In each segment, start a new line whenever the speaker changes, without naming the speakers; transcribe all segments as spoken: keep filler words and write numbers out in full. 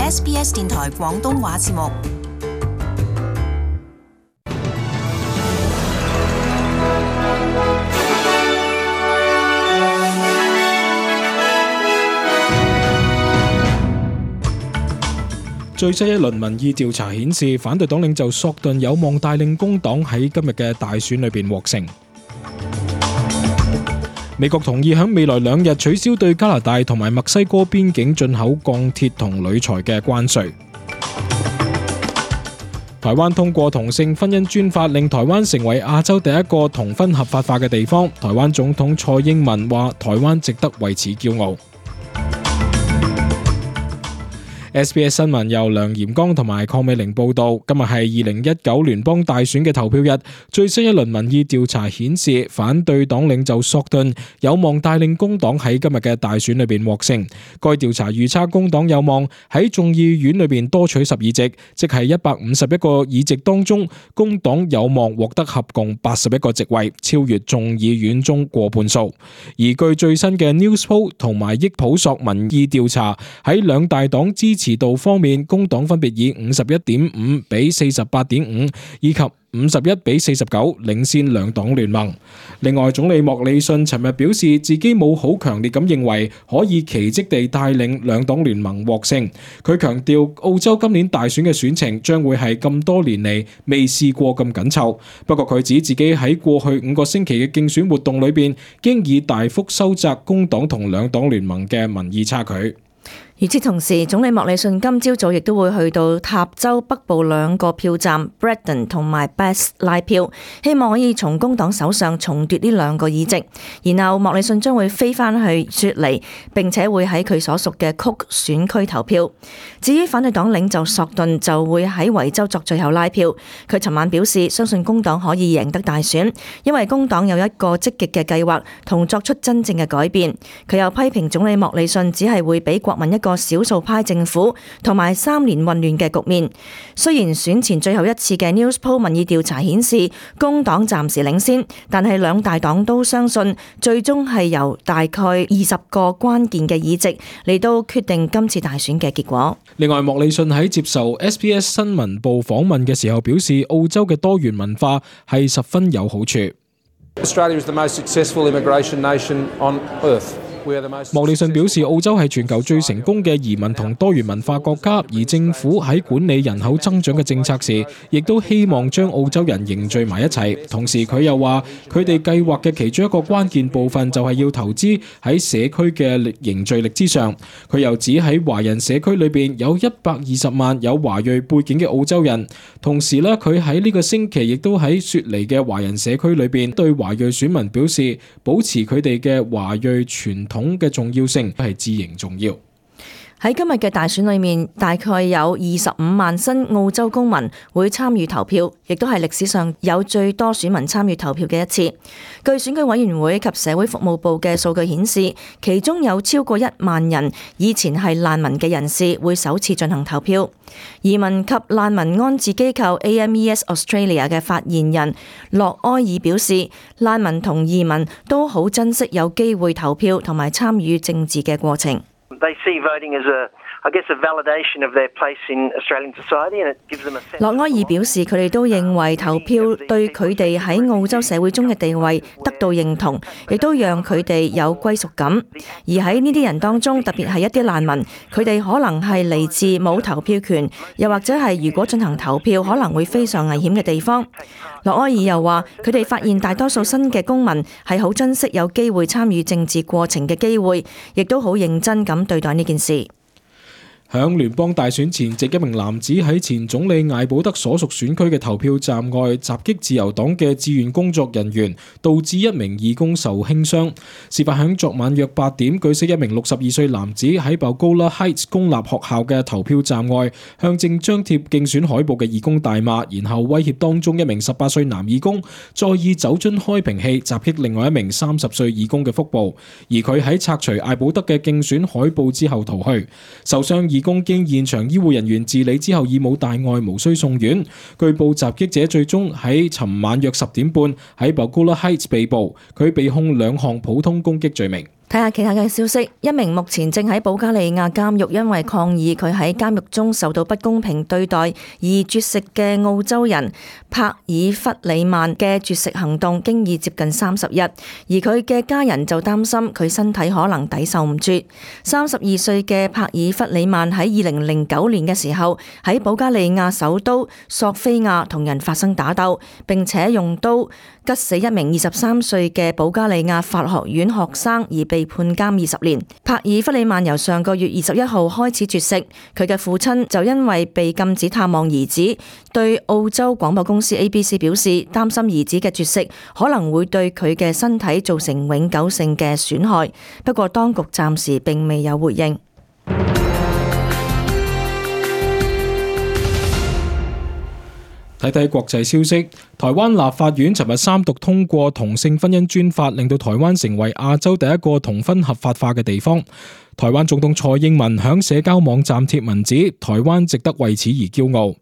S B S 電台廣東話節目。
最新一輪民意調查顯示，反對黨領袖索頓有望帶領工黨喺今日嘅大選裏邊獲勝。美國同意喺未來兩日取消對加拿大同埋墨西哥邊境進口鋼鐵同鋁材嘅關稅。台灣通過同性婚姻專法，令台灣成為亞洲第一個同婚合法化嘅地方。台灣總統蔡英文話：台灣值得為此驕傲。S B S 新聞由梁炎剛同埋鄺美玲報道，今日係二零一九聯邦大選嘅投票日。最新一輪民意調查顯示，反對黨領袖索頓有望帶領工黨喺今日嘅大選裏邊獲勝。該調查預測工黨有望喺眾議院裏邊多取十議席，即係一百五十一個議席當中，工黨有望獲得合共八十一個席位，超越眾議院中過半數。而據最新嘅 Newspoll 同埋益普索民意調查，喺兩大黨支持度方面，工黨分別以五十一點五比四十八點五以及五十一比四十九領先兩黨聯盟。另外，總理莫里遜尋日表示自己冇好強烈咁認為可以奇蹟地帶領兩黨聯盟獲勝。佢強調澳洲今年大選嘅選情將會係咁多年嚟未試過咁緊湊。不過佢指自己喺過去五個星期嘅競選活動裏邊，經已大幅收窄工黨同兩黨聯盟嘅民意差距。
與此同時，總理莫里遜今朝早亦都會去到塔州北部兩個票站 Bredon 同埋 Bass 拉票，希望可以從工黨手上重奪呢兩個議席。然後莫里遜將會飛返去雪梨，並且會喺佢所屬嘅 Cook 選區投票。至於反對黨領袖索頓就會喺維州作最後拉票。佢尋晚表示相信工黨可以贏得大選，因為工黨有一個積極嘅計劃同作出真正嘅改變。佢又批評總理莫里遜只係會俾國民一個個少數派政府同埋三年混亂嘅局面。雖然選前最後一次嘅 Newspoll 民意調查顯示工黨暫時領先，但係兩大黨都相信最終係由大概二十個關鍵嘅議席嚟到決定今次大選嘅結果。
另外，莫里遜喺接受 S B S 新聞部訪問嘅時候表示，澳洲嘅多元文化係十分有好處。
Australia is the most successful immigration nation on earth.
莫里遜表示，澳洲係全球最成功嘅移民同多元文化國家，而政府喺管理人口增長嘅政策時，亦都希望將澳洲人凝聚埋一齊。同時，佢又話，佢哋計劃嘅其中一個關鍵部分就係要投資喺社區嘅凝聚力之上。佢又指喺華人社區裏邊有一百二十萬有華裔背景嘅澳洲人。同時咧，佢喺呢個星期亦都喺雪梨嘅華人社區裏邊對華裔選民表示，保持佢哋嘅華裔傳統嘅重要性係至形重要。
喺今日嘅大選裏面，大概有二十五萬新澳洲公民會參與投票，亦都係歷史上有最多選民參與投票嘅一次。據選舉委員會及社會服務部嘅數據顯示，其中有超過一萬人以前係難民嘅人士會首次進行投票。移民及難民安置機構 A M E S Australia 嘅發言人洛埃爾表示，難民同移民都好珍惜有機會投票同埋參與政治嘅過程。
They see voting as a, I guess, a validation of their place in Australian society, and it gives them a sense.
洛埃爾表示，佢哋都認為投票對佢哋喺澳洲社會中嘅地位得到認同，亦都讓佢哋有歸屬感。而喺呢啲人當中，特別係一啲難民，佢哋可能係嚟自冇投票權，又或者係如果進行投票可能會非常危險嘅地方。洛埃爾又話，佢哋發現大多數新嘅公民係好珍惜有機會參與政治過程嘅機會，亦都好認真咁對待呢件事。
響聯邦大選前夕，一名男子喺前總理艾保德所屬選區嘅投票站外襲擊自由黨嘅志願工作人員，導致一名義工受輕傷。事發響昨晚約八點，據悉一名六十二歲男子喺 Balgowlah Heights 公立學校嘅投票站外向正張貼競選海報嘅義工大罵，然後威脅當中一名十八歲男義工，再以酒樽開瓶器襲擊另外一名三十歲義工嘅腹部，而佢喺拆除艾保德嘅競選海報之後逃去。受傷義工經現場醫護人員治理之後已冇大礙，無需送院。據報襲擊者最終喺尋晚約十點半喺 Balgowlah Heights 被捕，佢被控兩項普通攻擊罪名。
睇下其他嘅消息，一名目前正喺保加利亞監獄因為抗議佢喺監獄中受到不公平對待而絕食嘅澳洲人帕爾弗里曼嘅絕食行動經已接近三十日，而佢嘅家人就擔心佢身體可能抵受唔住。三十二歲嘅帕爾弗里曼喺二零零九年嘅時候喺保加利亞首都索菲亞同人發生打鬥，並且用刀吉死一名二十三歲嘅保加利亞法學院學生而被判監二十年。帕爾弗里曼由上個月二十一號開始絕食，佢嘅父親就因為被禁止探望兒子，對澳洲廣播公司 A B C 表示擔心兒子嘅絕食可能會對佢嘅身體造成永久性嘅損害。不過當局暫時並未有回應。
睇睇國際消息，台灣立法院尋日三讀通過同性婚姻專法，令到台灣成為亞洲第一個同婚合法化嘅地方。台灣總統蔡英文響社交網站貼文指，台灣值得為此而驕傲。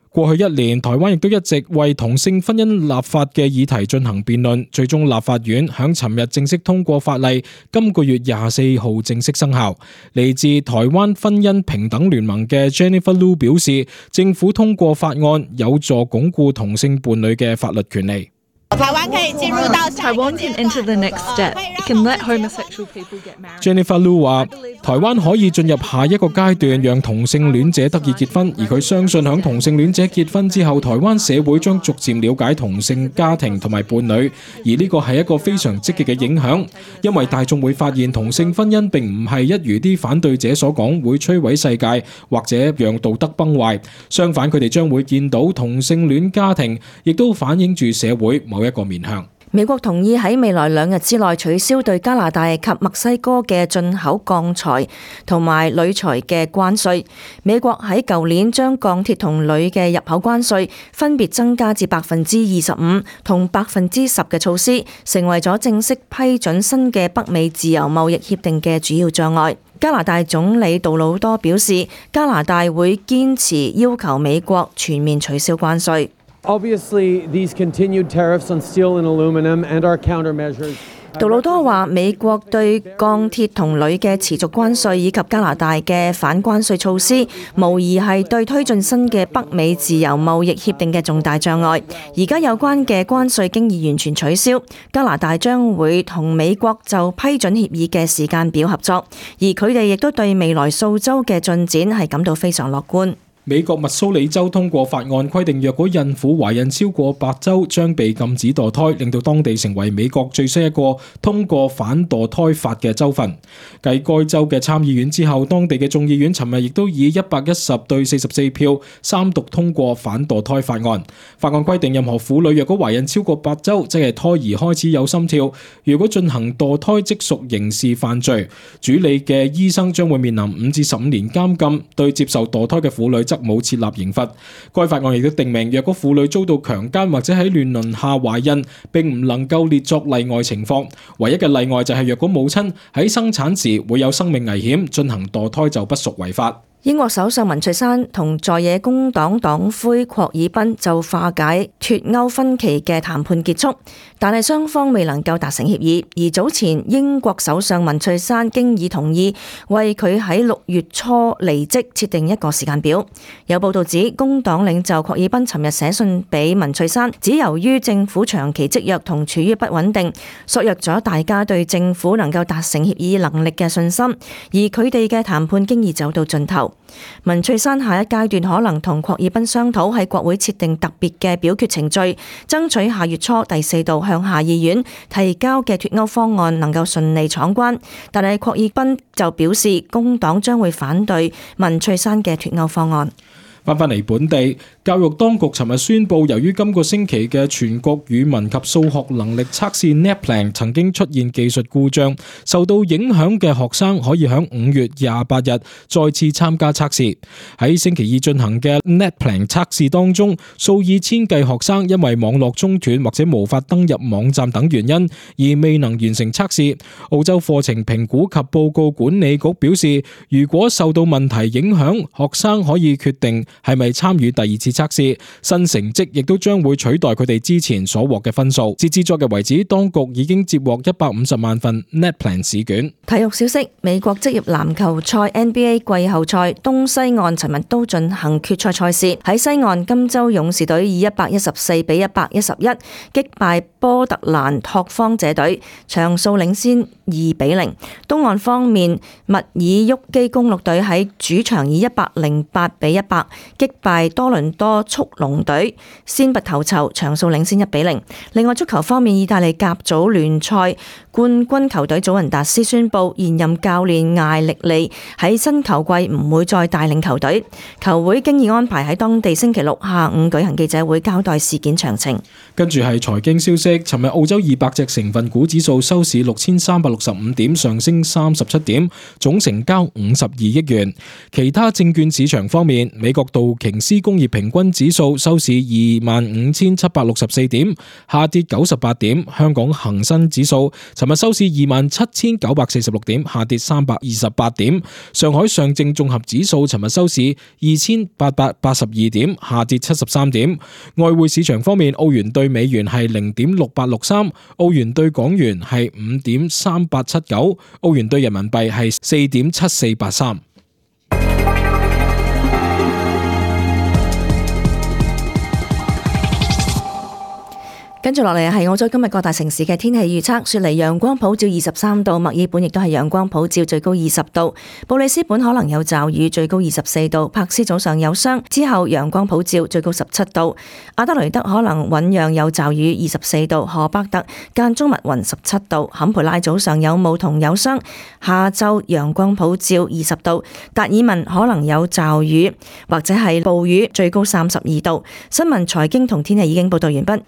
過去一年，台灣亦都一直為同性婚姻立法嘅議題進行辯論，最終立法院響尋日正式通過法例，今個月廿四號正式生效。嚟自台灣婚姻平等聯盟嘅 Jennifer Lu 表示，政府通過法案有助鞏固同性伴侶嘅法律權利。
台灣可以進入到台灣 can enter the next step. It can let homosexual people get married.
Jennifer Lu 話：台灣可以進入下一個階段，讓同性戀者得以結婚。而佢相信響同性戀者結婚之後，台灣社會將逐漸了解同性家庭同埋伴侶，而呢個係一個非常積極嘅影響，因為大眾會發現同性婚姻並唔係一如啲反對者所講會摧毀世界或者讓道德崩壞。相反，佢哋將會見到同性戀家庭亦都反映住社會某一個面向。
美國同意喺未來兩日之內取消對加拿大及墨西哥嘅進口鋼材同埋鋁材嘅關稅。美國喺舊年將鋼鐵同鋁嘅入口關稅分別增加至百分之二十五同百分之十嘅措施，成為咗正式批准新嘅北美自由貿易協定嘅主要障礙。加拿大總理杜魯多表示，加拿大會堅持要求美國全面取消關稅。
Obviously, these continued tariffs on steel and aluminum and our countermeasures.
杜魯多話：美國對鋼鐵同鋁嘅持續關稅以及加拿大嘅反關稅措施，無疑係對推進新嘅北美自由貿易協定嘅重大障礙。而家有關嘅關稅經已完全取消，加拿大將會同美國就批准協議嘅時間表合作，而佢哋亦都對未來數週嘅進展係感到非常樂觀。
美國密蘇里州通過法案，規定若果孕婦懷孕超過八週將被禁止墮胎，令到當地成為美國最新一個通過反墮胎法嘅州份。繼該州嘅參議院之後，當地嘅眾議院尋日亦都以一百一十對四十四票三讀通過反墮胎法案。法案規定，任何婦女若果懷孕超過八週，即係胎兒開始有心跳，如果進行墮胎即屬刑事犯罪，主理嘅醫生將會面臨五至十五年監禁。對接受墮胎嘅婦女則冇設立刑罰。該法案亦都定明，若果婦女遭到強姦或者喺亂倫下懷孕，並唔能夠列作例外情況。唯一嘅例外就係若果母親喺生產時會有生命危險，進行墮胎就不屬違法。
英國首相文翠珊同在野工黨黨魁霍爾賓就化解脫歐分歧嘅談判結束，但係雙方未能夠達成協議。而早前英國首相文翠珊經已同意為佢喺六月初離職設定一個時間表。有報道指，工黨領袖霍爾賓尋日寫信俾文翠珊，指由於政府長期積弱同處於不穩定，削弱咗大家對政府能夠達成協議能力嘅信心，而佢哋嘅談判經已走到盡頭。文翠珊下一階段可能同霍爾賓商討喺國會設定特別嘅表決程序，爭取下月初第四度向下議院提交嘅脫歐方案能夠順利闖關。但係霍爾賓就表示，工黨將會反對文翠珊嘅脫歐方案。
翻返嚟本地，教育當局尋日宣布，由於今個星期嘅全國語文及數學能力測試 NAPLAN 曾經出現技術故障，受到影響嘅學生可以喺五月廿八日再次參加測試。喺星期二進行嘅 NAPLAN 測試當中，數以千計學生因為網絡中斷或者無法登入網站等原因而未能完成測試。澳洲課程評估及報告管理局表示，如果受到問題影響，學生可以決定係咪參與第二次測試，新成績亦都將會取代佢哋之前所獲嘅分數。截至昨日為止，當局已經接獲一百五十萬份 NAPLAN 試卷。
體育消息：美國職業籃球賽 N B A 季後賽東西岸尋日都進行決賽賽事。喺西岸，金州勇士隊以一百一十四比一百一十一擊敗波特蘭拓荒者隊，場數領先二比零。東岸方面，密爾沃基公鹿隊喺主場以一百零八比一百擊敗多倫多速龍隊，先拔頭籌，場數領先一比零。另外足球方面，意大利甲組聯賽冠軍球隊祖雲達斯宣布，現任教練艾力利喺新球季唔會再帶領球隊。球會經已安排喺當地星期六下午舉行記者會，交代事件詳情。
跟住係財經消息，尋日澳洲二百隻成分股指數收市六千三百六十五點，上升三十七點，總成交五十二億元。其他證券市場方面，美國道瓊斯工業平均指數收市二萬五千七百六十四點，下跌九十八點。香港恒生指數尋日收市二萬七千九百四十六點，下跌三百二十八點。上海上證綜合指數尋日收市二千八百八十二點，下跌七十三點。外匯市場方面，澳元對美元係零點六八六三，澳元對港元係五點三八七九，澳元對人民幣係四點七四八三。
跟住落嚟係澳洲今日各大城市嘅天氣預測。雪梨陽光普照二十三度，墨爾本亦都係陽光普照，最高二十度。布里斯本可能有驟雨，最高二十四度。柏斯早上有霜，之後陽光普照，最高十七度。阿德雷德可能醞釀有驟雨，二十四度。荷伯特間中密雲，十七度。坎培拉早上有霧同有霜，下晝陽光普照，二十度。達爾文可能有驟雨或者係暴雨，最高三十二度。新聞、財經同天氣已經報道完畢。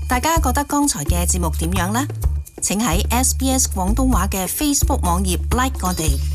大家覺得剛才嘅節目點樣呢？請喺 S B S 廣東話嘅 Facebook 網頁 like 我哋。